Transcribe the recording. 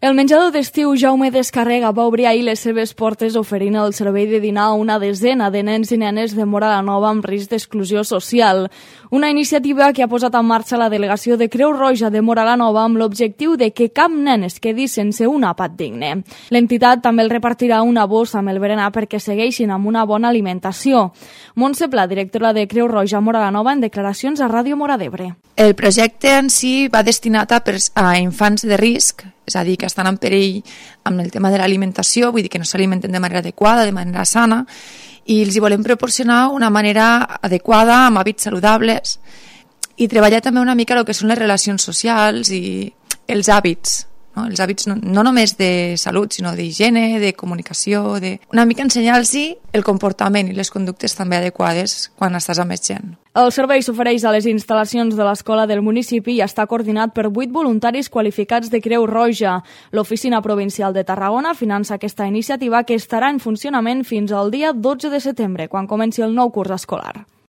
El menjador d'estiu Jaume Descarrega va obrir ahir les seves portes oferint el servei de dinar a una desena de nens i nenes de Móra la Nova amb risc d'exclusió social. Una iniciativa que ha posat en marxa la delegació de Creu Roja de Móra la Nova amb l'objectiu de que cap nen es quedi sense un àpat digne. L'entitat també el repartirà una bossa amb el berenar perquè segueixin amb una bona alimentació. Montse Pla, directora de Creu Roja Móra la Nova, en declaracions a Ràdio Móra d'Ebre. El projecte en si va destinat a infants de risc, és a dir, que estan en perill amb el tema de l'alimentació, vull dir que no s'alimenten de manera adequada, de manera sana, i els hi volem proporcionar una manera adequada, amb hàbits saludables, i treballar també una mica el que són les relacions socials i els hàbits, no? Els hàbits no només de salut, sinó d'higiene, de comunicació, una mica ensenyar-los el comportament i les conductes també adequades quan estàs amb més gent. El servei s'ofereix a les instal·lacions de l'escola del municipi i està coordinat per 8 voluntaris qualificats de Creu Roja. L'Oficina Provincial de Tarragona finança aquesta iniciativa que estarà en funcionament fins al dia 12 de setembre, quan comenci el nou curs escolar.